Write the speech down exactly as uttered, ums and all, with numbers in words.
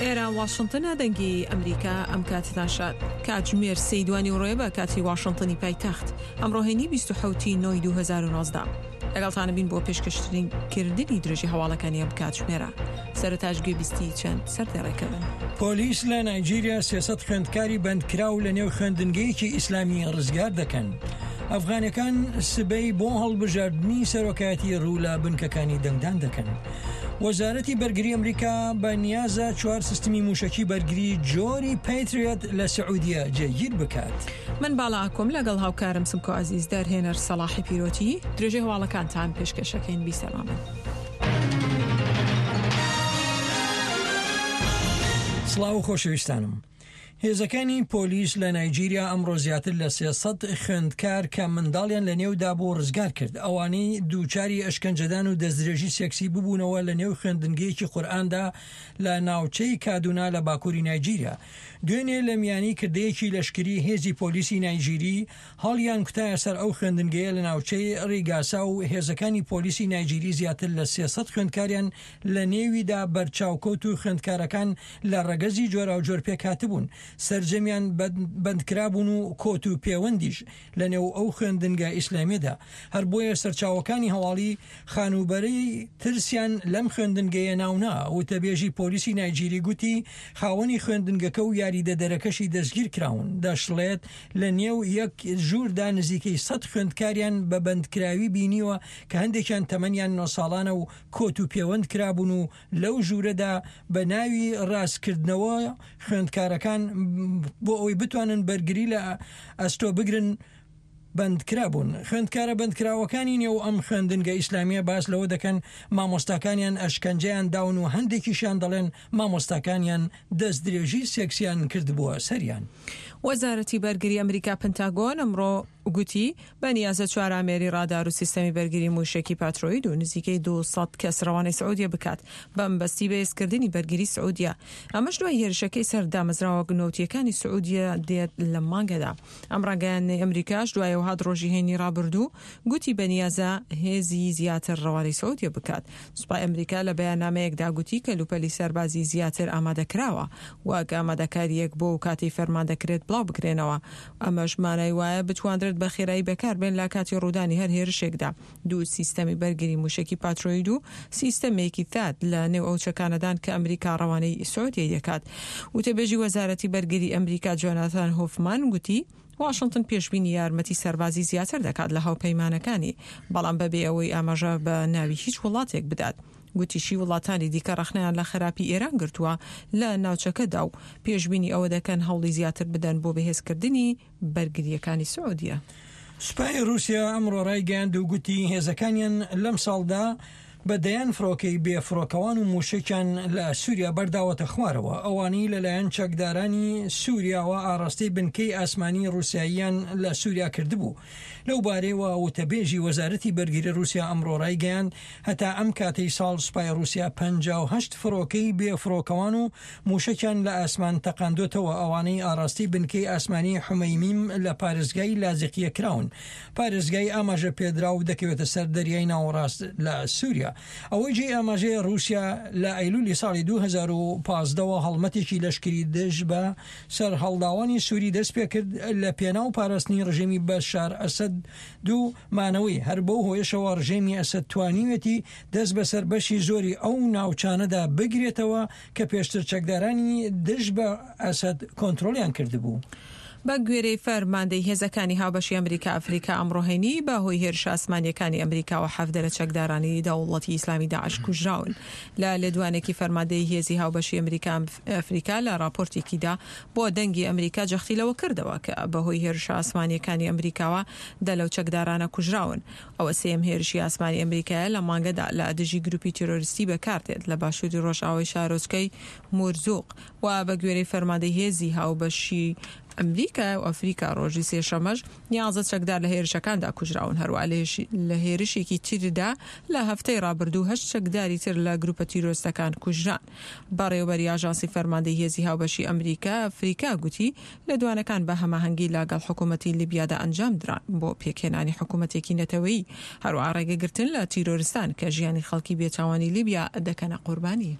ئێرە واشنتنە، دەنگی ئەمریکا. ئەم کاتتان شاد. کاتژمێر سێی دوانی ڕۆیە بە کاتی واشنتنی پایتەخت. ئەمڕۆ هەینی بیست و حەوت ی نۆی دوو هەزار و نۆزدە. لەگەڵتانە بین بۆ پێشکەشکردنی درێژی هەواڵەکانی ئەم کاتژمێرە. سەرەتاش گوێبیستی چەند سەردێڕێکە بن. پۆلیس لە نایجیریا سێ سەد خوێندکاری بەندکراو لە نێو خوێندنگەیەکی ئیسلامی ڕزگار دەکەن. ئەفغانەکان سبەی بۆ هەڵبژاردنی سەرۆکایەتی ڕوو لە بنکەکانی دەنگدان دەکەن. وەزارەتی بەرگری ئەمریکا بە نیازە چوار سیستمی موشەکی بەرگری جۆری پەیتریۆت لە سعودیە جێگیر بکات. من باڵا ئاکۆم لەگەڵ هاوکارم سمکۆ عەزیز، دەرهێنەر سەڵاحی پیرۆتی. درێژەی هەواڵەکانتان پێشکەشەکەین. بیسەرمامن. سڵاو خۆشەویستانم. هێزەکانی پۆلیس لە نایجیریا ئەمڕۆ زیاتر لە سێ سەد خوێندکار کە منداڵیان لە نێودا بوو ڕزگار کرد. ئەوانەی دووچاری ئەشکەنجەدان و دەستدرێژی سێکسی ببوونەوە لە نێو خوێندنگەیەکی قورئاندا لە ناوچەی کادونا لە باکووری نایجیریا. دوێنێ لە میانی کردەیەکی لەشکری هێزی پۆلیسی نایجیری هەڵیان کوتایە سەر ئەو خوێندنگەیە لە ناوچەی ڕیگاسا و هێزەکانی پۆلیسی نایجیری زیاتر لە سێ سەد خوێندکاریان لە نێویدا بەرچاوکەوت و خوێندکارەکان لە ڕەگەزی جۆراوجۆر پێکهاتبوون. سەرجەمیان بەندکرابوون و کۆت و پێوەندیش لە نێو ئەو خوێندنگە ئیسلامیدا. هەر بۆیە سەرچاوەکانی هەواڵی خانووبەرەی ترسیان لەم خوێندنگەیە ناونا. وتەبێژی پۆلیسی نایجیری گوتی خاوەنی خوێندنگەکە و یاریدەدەرەکەشی دەستگیر کراون. دەشڵێت لە نێو یەک ژووردا نزیکەی سەد خوێندکاریان بە بەندکراوی بینیوە کە هەندێکیان تەمەنیان نۆ ساڵانە و کۆت و پێوەند کرابوون و لەو ژوورەدا بە ناوی ڕاستکردنەوە خوێندکارەکان بۆ ئەوەی بتوانن بەرگری لە ئەستۆ بگرن بەندکرابوون. خوێندکارە بەندکراوەکانی نێو ئەم خوێندنگە ئیسلامیە باس لەوە دەکەن مامۆستاکانیان ئەشکەنجەیان داون و هەندێکیشیان دەڵێن مامۆستاکانیان دەستدرێژی سێکسیان کردبووە سەریان. وەزارەتی بەرگری ئەمریکا پنتاگۆن ئەمڕۆ گوتی بە نیازە چوار ئامێری ڕادار و سیستەمی بەرگری موشەکی پاترۆید و نزیکەی دوو سەد کەس ڕەوانەی سعودیە بکات بەمبەستی بەهێزکردنی بەرگری سعودیە. ئەمەش دوای هێرشەکەی سەر دامەزراوە نەوتیەکانی سعودیە دێت لە مانگەدا. ئەم ڕاگەیاندنەی ئەمریکاش دوای هات ڕۆژی هەینی ڕابردوو گوتی بەنیازە هێزی زیاتر ڕەوانەی سعودیە بکات. سوپای ئەمریکا لە بەیاننامەیەکدا گوتی کەلوپەلی سەربازی زیاتر ئامادەکراوە وەک ئامادەکاریەک بۆ کاتی فەرمان دەکرێت بڵاو بکرێنەوە. ئەمەش مانای وایە بتواندرێت بە خێرایی بەکاربێن لە کاتی ڕوودانی هەر هێرشێکدا. دوو سیستەمی بەرگری موشەکی پاترۆید و سیستەمێکی ثاد لە نێو ئەو چەکانەدان کە ئەمریکا ڕەوانەی سعودیە دەکات. وتەبێژی وەزارەتی بەرگری ئەمریکا جۆناتان هۆفمان گوتی واشنگتن پێشبینی یارمەتی سەربازی زیاتر دەکات لە هاوپەیمانەکانی، بەڵام بەبێ ئەوەی ئاماژە بە ناوی هیچ وڵاتێک بدات. گوتیشی وڵاتانی دیکە ڕەخنەیان لە خراپی ئێران گرتووە لە ناوچەکەدا و پێشبینی ئەوە دەکەن هەوڵی زیاتر بدەن بۆ بەهێزکردنی بەرگریەکانی سعودیە. سوپای رووسیا ئەمڕۆ ڕایگەیاند و گوتی هێزەکانیان لەم ساڵدا بە دەیان فڕۆکەی بێفڕۆکەوان و موشەکیان لە سووریا بەرداوەتە خوارەوە. ئەوانەی لەلایەن چەکدارانی سووریاوە ئاراستەی بنکەی ئاسمانی ڕووسیاییان لە سووریا کردبوو. لەو بارەیەوە وتەبێژی وەزارەتی بەرگری رووسیا ئەمڕۆ ڕایگەیاند هەتا ئەم کاتەی ساڵ سوپای رووسیا پەنجا و هەشت فڕۆکەی بێفڕۆکەوان و موشەکیان لە ئاسمان تەقاندۆتەوە، ئەوانەی ئاراستەی بنکەی ئاسمانی حومەیمیم لە پارێزگای لازقیە کراون. پارێزگای ئاماژە پێدراو دەکەوێتە سەر دەریای ناوەڕاست لە سووریا. ئەوەی جێی ئاماژەیە رووسیا لە ئەیلولی ساڵی دوو هەزار و پازدەوە هەڵمەتێکی لەشکری دژ بە سەرهەڵداوانی سووری دەست پێکرد لە پێناو پاراستنی ڕژێمی بەشار ئەسەد دوو مانەوەی. هەر بەو هۆیەشەوە ڕژێمی ئەسەد توانیوێتی دەست بەسەر بەشی زۆری ئەو ناوچانەدا بگرێتەوە کە پێشتر چەکدارانی دژ بە ئەسەد کۆنترۆڵیان کردبوو. بە گوێرەی فەرماندەی هێزەکانی هاوبەشی ئەمریکا ئەفریکا ئەمڕۆ هەینی بە هۆی هێرشە ئاسمانیەکانی ئەمریکاوە حەڤدە لە چەکدارانی دەوڵەتی ئیسلامی داعش کوژراون. لە لێدوانێکی فەرماندەی هێزی هاوبەشی ئەمریکا ئەفریکا لە راپۆرتێکیدا بۆ دەنگی ئەمریکا جەختی لەوە کردەوە کە بەهۆی هێرشە ئاسمانیەکانی ئەمریکاوە دە لەو چەکدارانە کوژراون. ئەوە سێیەم هێرشی ئاسمانی ئەمریکایە لە مانگەدا لە دژی گروپی تیرۆریستی بەکاردێت لە باشووری ڕۆژئاوای شارۆچکەی مورزوق و بە گوێرەی فەرماندەی هێزی هاوبەشی ئەمریکا و ئەفریکا ڕۆژی سێشەمەش یازدە چەکدار لە هێرشەکاندا کوژراون. هەروە لە هێرشێکی تردا لە هەفتەی ڕابردوو هەشت چەکداری تر لە گروپە تیرۆریستەکان کوژران. بەڕێوەبەری ئاژانسی فەرماندەی هێزی هاوبەشی ئەمریکا ئەفریکا گوتی لێدوانەکان بە هەماهەنگی لەگەڵ حکوومەتی لیبیادا ئەنجام دران بۆ پێکهێنانی حکوومەتێکی نەتەوەیی، هەروەها ڕێگەگرتن لە تیرۆریستان کە ژیانی خەڵکی بێتاوانی لیبیا دەکەنە قوربانی.